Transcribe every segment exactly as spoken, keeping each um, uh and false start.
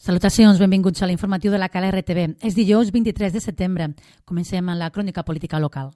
Salutacions, benvinguts a l'informatiu de la Cala R T V. És dijous vint-i-tres de setembre. Comencem amb la crònica política local.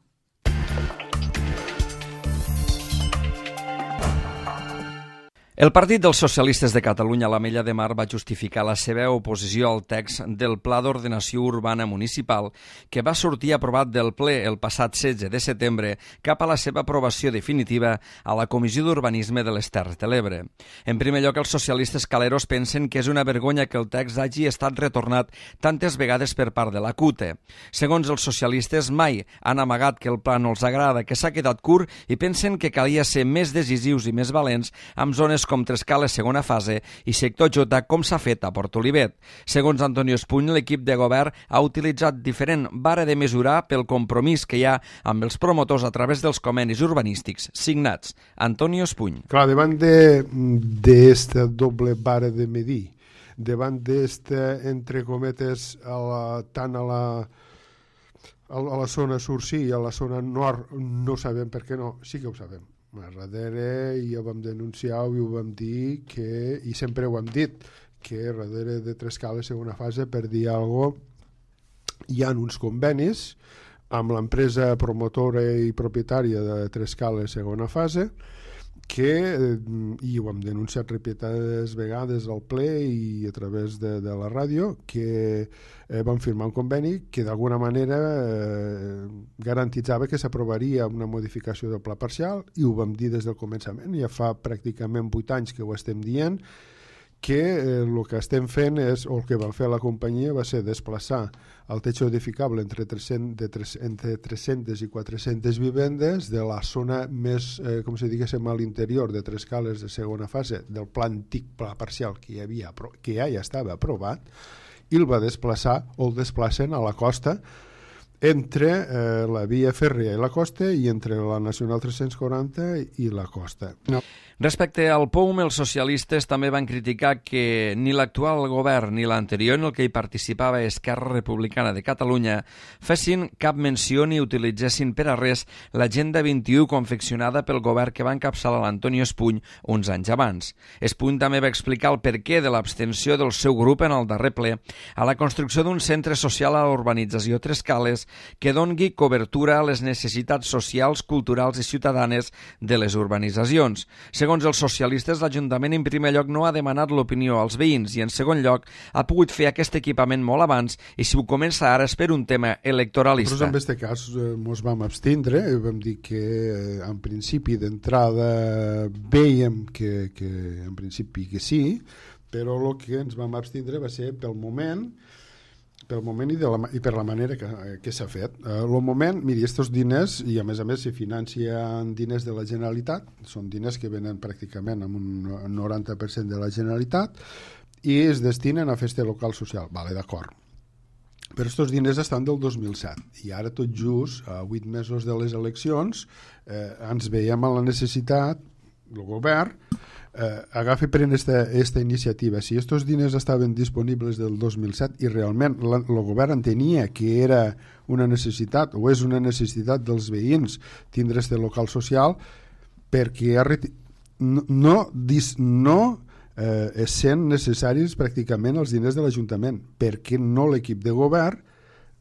El Partit dels Socialistes de Catalunya a l'Ametlla de Mar va justificar la seva oposició al text del Pla d'Ordenació Urbana Municipal que va sortir aprovat del ple el passat setze de setembre cap a la seva aprovació definitiva a la Comissió d'Urbanisme de les Terres de l'Ebre. En primer lloc, els socialistes caleros pensen que és una vergonya que el text hagi estat retornat tantes vegades per part de la C U T E. Segons els socialistes, mai han amagat que el pla no els agrada, que s'ha quedat curt i pensen que calia ser més decisius i més valents amb zones com Trescales segona fase i sector J com s'ha fet a Port Olivet. Segons Antonio Espuny, l'equip de govern ha utilitzat diferent vara de mesurar pel compromís que hi ha amb els promotors a través dels convenis urbanístics signats. Antonio Espuny. Clar, davant d'esta de, doble vara de medir, davant d'esta, entre cometes, a la, tant a la a la zona sur sí i a la zona nord no sabem per què no, sí que ho sabem. A darrere ja ho vam denunciar i ho vam dir que, i sempre ho hem dit, que darrere de Trescales segona fase, per dir alguna cosa, hi ha uns convenis amb l'empresa promotora i propietària de Trescales segona fase que, i ho hem denunciat repetides vegades al ple i a través de, de la ràdio, que eh, van firmar un conveni que d'alguna manera eh, garantitzava que s'aprovaria una modificació del pla parcial, i ho vam dir des del començament, ja fa pràcticament vuit anys que ho estem dient, que eh, el que estem fent és, o el que va fer la companyia va ser desplaçar el techo edificable entre, tres-cents, de tres, entre tres-centes i quatre-centes vivendes de la zona més, eh, com si diguéssim, a l'interior de Trescales de segona fase del pla antic, pla parcial que hi havia, que ja, ja estava aprovat, i el va desplaçar o el desplacen a la costa entre eh, la via fèrria i la costa i entre la Nacional tres-cents quaranta i la costa. No. Respecte al P O U M, els socialistes també van criticar que ni l'actual govern ni l'anterior, en el que hi participava Esquerra Republicana de Catalunya, fessin cap menció ni utilitzessin per a res l'Agenda vint-i-u confeccionada pel govern que va encapçalar l'Antonio Espuny uns anys abans. Espuny també va explicar el perquè de l'abstenció del seu grup en el darrer ple a la construcció d'un centre social a l'urbanització Trescales que dongui cobertura a les necessitats socials, culturals i ciutadanes de les urbanitzacions. Segons els socialistes, l'Ajuntament en primer lloc no ha demanat l'opinió als veïns i en segon lloc ha pogut fer aquest equipament molt abans i si ho comença ara és per un tema electoralista. Nosaltres en aquest cas ens vam abstindre i vam dir que en principi d'entrada veiem que, que en principi que sí, però el que ens vam abstindre va ser pel moment pel moment i, de la, i per la manera que, que s'ha fet. El uh, moment, miri, estos diners, i a més a més se financien diners de la Generalitat, són diners que venen pràcticament amb un noranta per cent de la Generalitat i es destinen a festa local social. Vale, d'acord. Però estos diners estan del dos mil set i ara tot just, a vuit mesos de les eleccions, eh, ens veiem a la necessitat, el govern, Eh, agafi pren esta, esta iniciativa. Si estos diners estaven disponibles del dos mil set i realment el govern entenia que era una necessitat o és una necessitat dels veïns tindre este local social, perquè no, no, no eh, sent necessaris pràcticament els diners de l'Ajuntament, perquè no l'equip de govern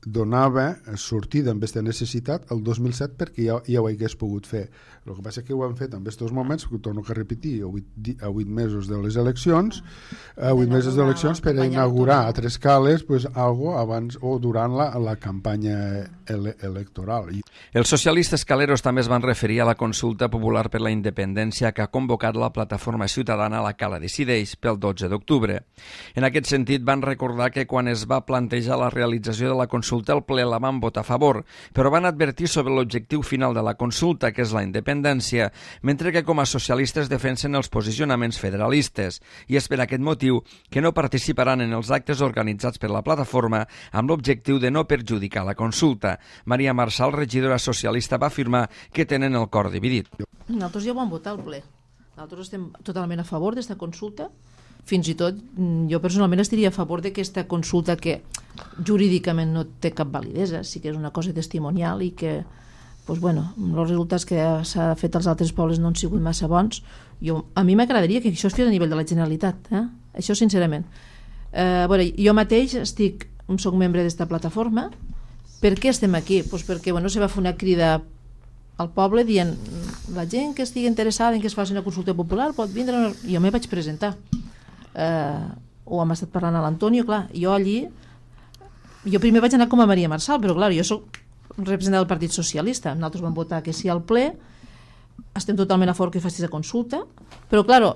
donava sortida amb aquesta necessitat el dos mil set perquè ja, ja ho hagués pogut fer. El que passa és que ho han fet en aquests moments, que ho torno a repetir, a vuit, a vuit mesos de les eleccions, a vuit mesos d'eleccions per inaugurar a Trescales pues, algo abans o durant la, la campanya ele electoral. Els socialistes caleros també es van referir a la consulta popular per la independència que ha convocat la plataforma ciutadana La Cala Decideix pel dotze d'octubre. En aquest sentit van recordar que quan es va plantejar la realització de la consulta el ple la van votar a favor, però van advertir sobre l'objectiu final de la consulta, que és la independència, mentre que com a socialistes defensen els posicionaments federalistes, i és per aquest motiu que no participaran en els actes organitzats per la plataforma amb l'objectiu de no perjudicar la consulta. Maria Marçal, regidora socialista, va afirmar que tenen el cor dividit. Nosaltres ja ho vam votar al ple. Nosaltres estem totalment a favor d'aquesta consulta. Fins i tot jo personalment estaria a favor d'aquesta consulta que jurídicament no té cap validesa, sí que és una cosa testimonial i que doncs, bueno, els resultats que s'ha fet als altres pobles no han sigut massa bons. Jo, a mi m'agradaria que això es fes a nivell de la Generalitat, eh? Això sincerament. Eh, bueno, jo mateix estic, soc membre d'esta plataforma. Per què estem aquí? Pues perquè bueno, se va fer una crida al poble dient la gent que estigui interessada en que es faci una consulta popular pot vindre. Jo me vaig presentar. Eh, ho hem estat parlant a l'Antonio, clar, jo allí jo primer vaig anar com a Maria Marçal, però clar, jo soc representant del Partit Socialista, nosaltres vam votar que sí al ple, estem totalment a favor que facis la consulta, però clar,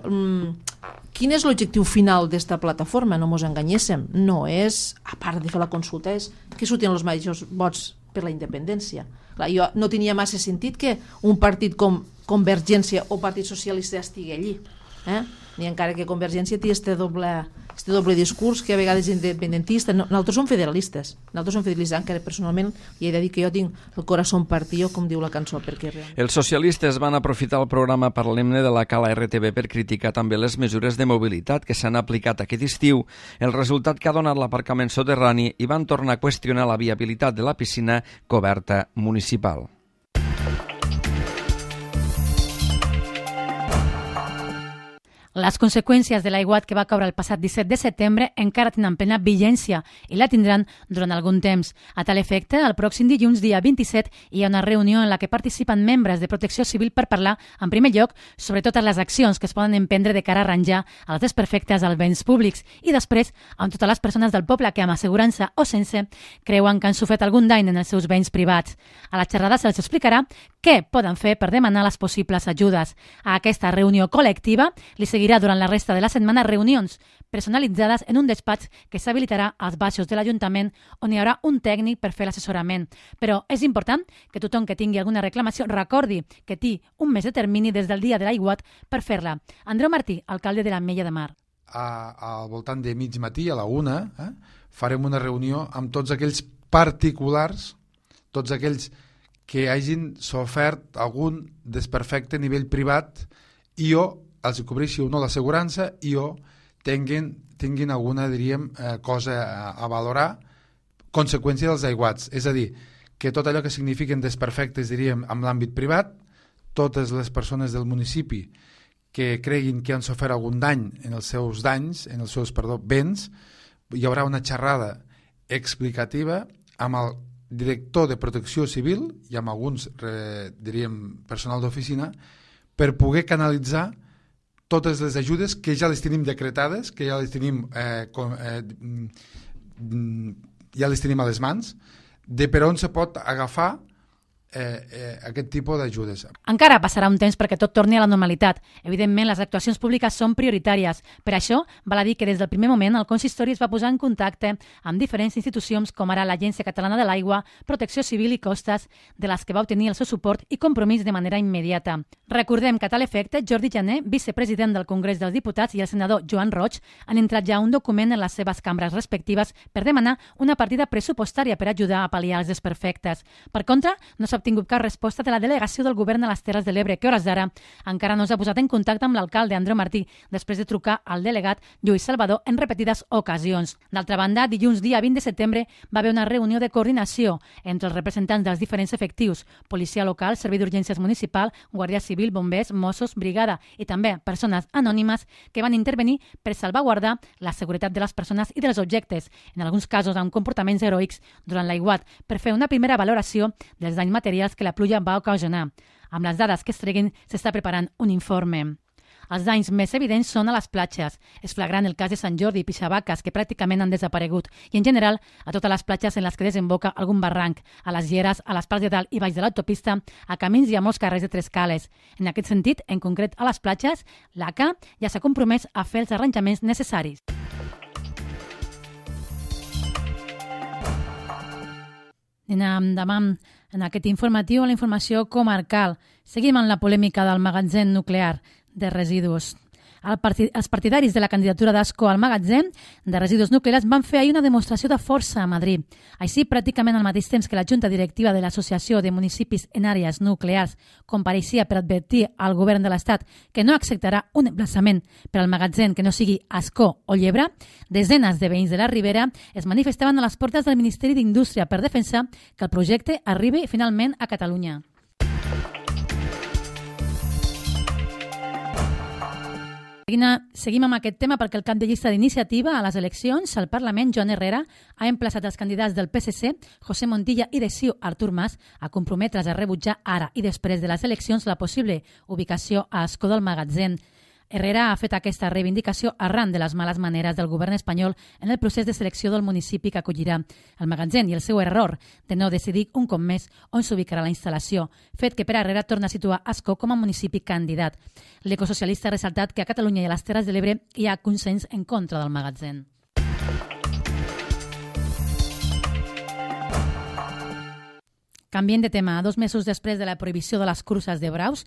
quin és l'objectiu final d'esta plataforma? No mos enganyéssim, no és, a part de fer la consulta, és que surtin els majors vots per la independència. Clar, jo no tenia massa sentit que un partit com Convergència o Partit Socialista estigui allí, eh? Ni encara que Convergència té este doble, este doble discurs que a vegades és independentista. No, nosaltres som federalistes, nosaltres som federalistes, encara personalment hi he de dir que jo tinc el corazón partido, com diu la cançó, perquè realment... Els socialistes van aprofitar el programa Parlem-ne de la Cala R T V per criticar també les mesures de mobilitat que s'han aplicat aquest estiu, el resultat que ha donat l'aparcament soterrani, i van tornar a qüestionar la viabilitat de la piscina coberta municipal. Les conseqüències de l'aiguat que va caure el passat disset de setembre encara tenen plena vigència i la tindran durant algun temps. A tal efecte, el pròxim dilluns, dia vint-i-set, hi ha una reunió en la que participen membres de Protecció Civil per parlar, en primer lloc, sobre totes les accions que es poden emprendre de cara a arranjar els desperfectes als béns públics i després amb totes les persones del poble que, amb assegurança o sense, creuen que han sofert algun dany en els seus béns privats. A la xerrada se'ls explicarà què poden fer per demanar les possibles ajudes. A aquesta reunió col·lectiva li seguirà durant la resta de la setmana reunions personalitzades en un despatx que s'habilitarà als baixos de l'Ajuntament, on hi haurà un tècnic per fer l'assessorament. Però és important que tothom que tingui alguna reclamació recordi que té un mes de termini des del dia de l'aiguat per fer-la. Andreu Martí, alcalde de l'Ametlla de Mar. A, al voltant de mig matí, a la una, eh, farem una reunió amb tots aquells particulars, tots aquells que hagin sofert algun desperfecte a nivell privat i o els cobreixi o no l'assegurança i o tinguin, tinguin alguna, diríem, eh, cosa a, a valorar, conseqüència dels aiguats. És a dir, que tot allò que signifiquen desperfectes, diríem, en l'àmbit privat, totes les persones del municipi que creguin que han sofert algun dany en els seus danys, en els seus, perdó, béns, hi haurà una xerrada explicativa amb el director de Protecció Civil i amb alguns, eh, diríem, personal d'oficina, per poder canalitzar totes les ajudes que ja les tenim decretades, que ja les tenim, eh, com, eh, ja les tenim a les mans, de per on se pot agafar Eh, eh, aquest tipus d'ajudes. Encara passarà un temps perquè tot torni a la normalitat. Evidentment, les actuacions públiques són prioritàries. Per això, val a dir que des del primer moment el consistori es va posar en contacte amb diferents institucions com ara l'Agència Catalana de l'Aigua, Protecció Civil i Costes, de les que va obtenir el seu suport i compromís de manera immediata. Recordem que a tal efecte, Jordi Jané, vicepresident del Congrés dels Diputats, i el senador Joan Roig han entrat ja un document en les seves cambres respectives per demanar una partida pressupostària per ajudar a pal·liar els desperfectes. Per contra, no s'ha obtingut cap resposta de la delegació del govern a les Terres de l'Ebre, que a hores d'ara encara no s'ha posat en contacte amb l'alcalde Andreu Martí, després de trucar al delegat Lluís Salvador en repetides ocasions. D'altra banda, dilluns dia vint de setembre va haver una reunió de coordinació entre els representants dels diferents efectius, policia local, servei d'urgències municipal, guàrdia civil, bombers, Mossos, brigada i també persones anònimes que van intervenir per salvaguardar la seguretat de les persones i dels objectes, en alguns casos amb comportaments heroics durant l'aiguat, per fer una primera valoració dels danys materials que la pluja va ocasionar. Amb les dades que es treguin, s'està preparant un informe. Els danys més evidents són a les platges. És flagrant el cas de Sant Jordi i Pixabaques, que pràcticament han desaparegut, i en general a totes les platges en les que desemboca algun barranc, a les lleres, a les parts de dalt i baix de l'autopista, a camins i a molts carrers de tres cales. En aquest sentit, en concret a les platges, l'A C A ja s'ha compromès a fer els arranjaments necessaris. Anem endavant en aquest informatiu a la informació comarcal. Seguim amb la polèmica del magatzem nuclear de residus. El partit, els partidaris de la candidatura d'Ascó al magatzem de residus nuclears van fer ahir una demostració de força a Madrid. Així, pràcticament al mateix temps que la Junta Directiva de l'Associació de Municipis en Àrees Nuclears compareixia per advertir al govern de l'Estat que no acceptarà un emplaçament per al magatzem que no sigui Ascó o Llebre, desenes de veïns de la Ribera es manifestaven a les portes del Ministeri d'Indústria per defensar que el projecte arribi finalment a Catalunya. Seguim amb aquest tema perquè el cap de llista d'iniciativa a les eleccions al Parlament, Joan Herrera, ha emplaçat els candidats del P S C, José Montilla i de C I U, Artur Mas, a comprometre's a rebutjar ara i després de les eleccions la possible ubicació a Escó del Magatzem. Herrera ha fet aquesta reivindicació arran de les males maneres del govern espanyol en el procés de selecció del municipi que acollirà el magatzem i el seu error de no decidir un cop més on s'ubicarà la instal·lació, fet que per Herrera torna a situar Ascó com a municipi candidat. L'ecosocialista ha ressaltat que a Catalunya i a les Terres de l'Ebre hi ha consens en contra del magatzem. Canviem de tema. Dos mesos després de la prohibició de les curses de braus,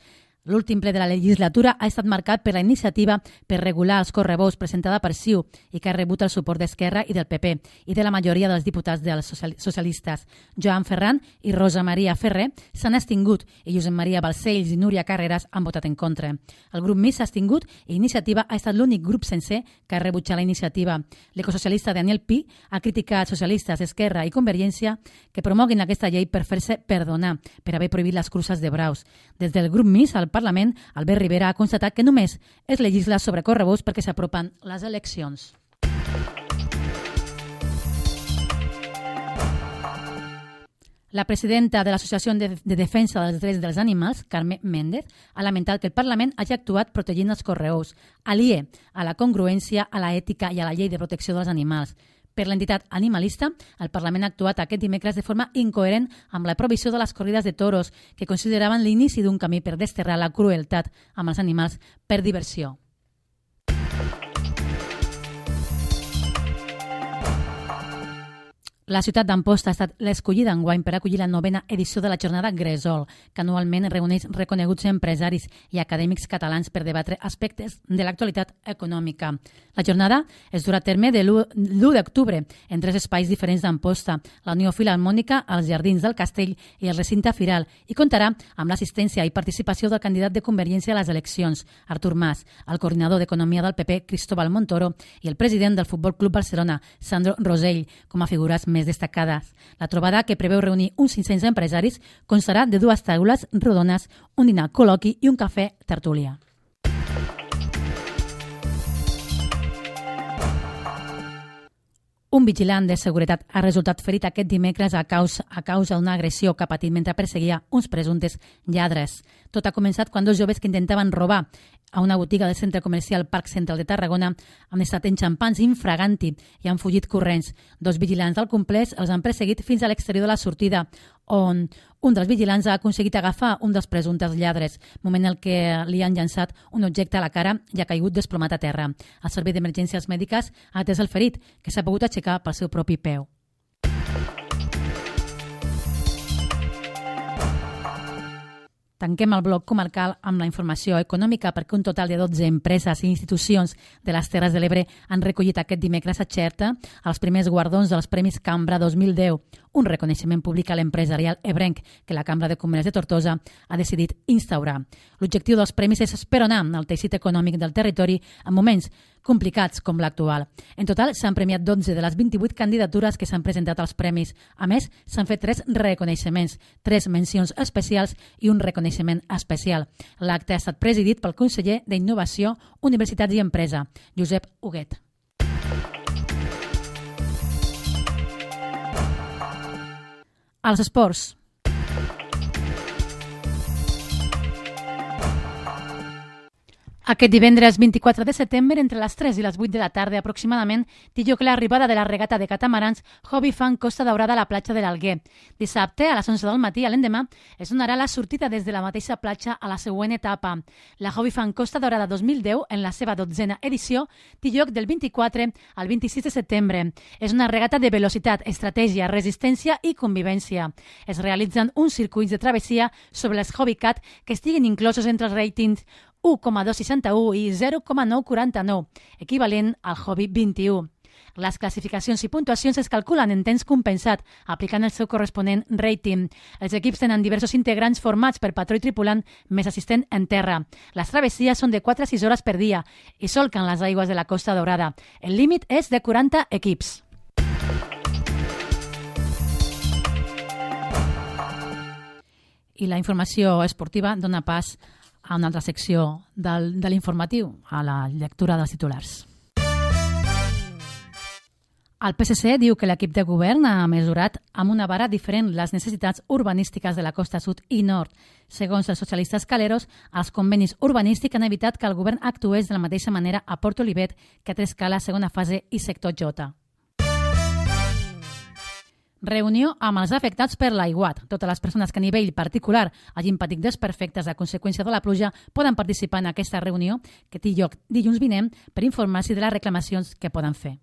l'últim ple de la legislatura ha estat marcat per la iniciativa per regular els correbous presentada per C I U i que ha rebut el suport d'Esquerra i del P P i de la majoria dels diputats dels socialistes. Joan Ferran i Rosa Maria Ferrer s'han abstingut i Josep Maria Balcells i Núria Carreras han votat en contra. El grup Més s'ha abstingut i Iniciativa ha estat l'únic grup sencer que ha rebutjat la iniciativa. L'ecosocialista Daniel Pi ha criticat socialistes, Esquerra i Convergència que promoguin aquesta llei per fer-se perdonar per haver prohibit les curses de braus. Des del grup Més al Parlament, Albert Rivera ha constatat que només es legisla sobre correbous perquè s'apropen les eleccions. La presidenta de l'Associació de Defensa dels Drets dels Animals, Carme Méndez, ha lamentat que el Parlament hagi actuat protegint els correbous, aliè a la congruència, a l'ètica i a la llei de protecció dels animals. Per l'entitat animalista, el Parlament ha actuat aquest dimecres de forma incoherent amb la prohibició de les corrides de toros, que consideraven l'inici d'un camí per desterrar la crueltat amb els animals per diversió. La ciutat d'Amposta ha estat l'escollida enguany per acollir la novena edició de la jornada Gresol, que anualment reuneix reconeguts empresaris i acadèmics catalans per debatre aspectes de l'actualitat econòmica. La jornada es durà a terme de l'u d'octubre en tres espais diferents d'Amposta, la Unió Filharmònica, els Jardins del Castell i el recinte Firal, i comptarà amb l'assistència i participació del candidat de Convergència a les eleccions, Artur Mas, el coordinador d'Economia del P P, Cristóbal Montoro, i el president del Futbol Club Barcelona, Sandro Rosell, com a figures més destacades. La trobada, que preveu reunir uns cinc-cents empresaris, constarà de dues taules rodones, un dinar col·loqui i un cafè tertúlia. Un vigilant de seguretat ha resultat ferit aquest dimecres a causa, a causa d'una agressió que ha patit mentre perseguia uns presumptes lladres. Tot ha començat quan dos joves que intentaven robar a una botiga del centre comercial Parc Central de Tarragona han estat enxampants infraganti i han fugit corrents. Dos vigilants del complex els han perseguit fins a l'exterior de la sortida, on un dels vigilants ha aconseguit agafar un dels presumptes lladres, moment en què li han llançat un objecte a la cara i ha caigut desplomat a terra. El servei d'emergències mèdiques ha atès el ferit, que s'ha pogut aixecar pel seu propi peu. Tanquem el bloc comarcal amb la informació econòmica perquè un total de dotze empreses i institucions de les Terres de l'Ebre han recollit aquest dimecres a Xerta els primers guardons dels Premis Cambra dos mil deu, un reconeixement públic a l'empresarial ebrenc que la Cambra de Comerç de Tortosa ha decidit instaurar. L'objectiu dels premis és esperonar el teixit econòmic del territori en moments complicats com l'actual. En total s'han premiat dotze de les vint-i-vuit candidatures que s'han presentat als premis. A més, s'han fet tres reconeixements, tres mencions especials i un reconeixement especial. L'acte ha estat presidit pel conseller d'Innovació, Universitats i Empresa, Josep Huguet. Als esports. Aquest divendres vint-i-quatre de setembre, entre les tres i les vuit de la tarda aproximadament, té lloc l'arribada de la regata de catamarans Hobby Fan Costa Daurada a la platja de l'Alguer. Dissabte, a les onze del matí, a l'endemà, es donarà la sortida des de la mateixa platja a la següent etapa. La Hobby Fan Costa Daurada dos mil deu, en la seva dotzena edició, té lloc del vint-i-quatre al vint-i-sis de setembre. És una regata de velocitat, estratègia, resistència i convivència. Es realitzen uns circuits de travessia sobre les Hobbycat que estiguin inclosos entre els ratings u coma dos seixanta-u i zero coma nou quaranta-nou, equivalent al Hobby vint-i-u. Les classificacions i puntuacions es calculen en temps compensat, aplicant el seu corresponent rating. Els equips tenen diversos integrants formats per patró i tripulant més assistent en terra. Les travessies són de quatre a sis hores per dia i solquen les aigües de la Costa Daurada. El límit és de quaranta equips. I la informació esportiva dona pas a una altra secció del, de l'informatiu, a la lectura dels titulars. El P S C diu que l'equip de govern ha mesurat amb una vara diferent les necessitats urbanístiques de la costa sud i nord. Segons els socialistes caleros, els convenis urbanístics han evitat que el govern actués de la mateixa manera a Port Olivet que a Trescala, segona fase i sector J. Reunió amb els afectats per l'aiguat. Totes les persones que a nivell particular hagin patit desperfectes a conseqüència de la pluja poden participar en aquesta reunió que té lloc dilluns vinent per informar-se de les reclamacions que poden fer.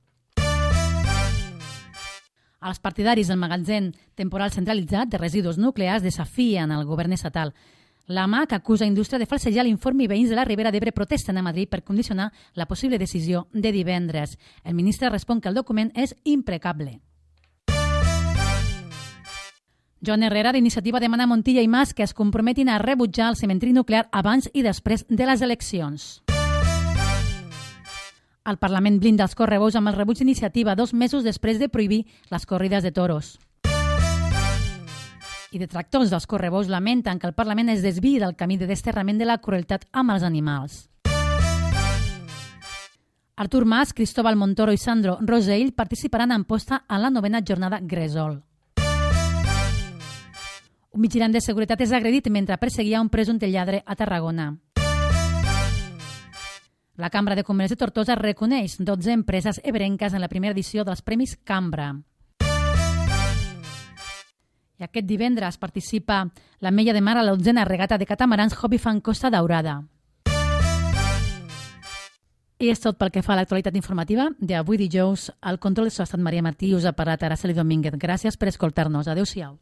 Els partidaris del magatzem temporal centralitzat de residus nuclears desafien el govern estatal. La M A C acusa Indústria de falsejar l'informe i veïns de la Ribera d'Ebre protesten a Madrid per condicionar la possible decisió de divendres. El ministre respon que el document és impecable. Joan Herrera, d'Iniciativa, demana a Montilla i Mas que es comprometin a rebutjar el cementiri nuclear abans i després de les eleccions. El Parlament blinda els correbous amb el rebuig d'Iniciativa dos mesos després de prohibir les corrides de toros. I detractors dels correbous lamenten que el Parlament es desviï del camí de desterrament de la crueltat amb els animals. Artur Mas, Cristóbal Montoro i Sandro Rosell participaran en posta a la novena jornada Gresol. Un vigilant de seguretat és agredit mentre perseguia un presumpte lladre a Tarragona. La Cambra de Comerç de Tortosa reconeix dotze empreses ebrenques en la primera edició dels Premis Cambra. I aquest divendres participa l'Ametlla de Mar a l'onzena regata de catamarans Hobby Fan Costa Daurada. I és tot pel que fa a l'actualitat informativa d'avui dijous. Al control de so ha estat Maria Martí i us ha parlat Araceli Domínguez. Gràcies per escoltar-nos. Adéu-siau.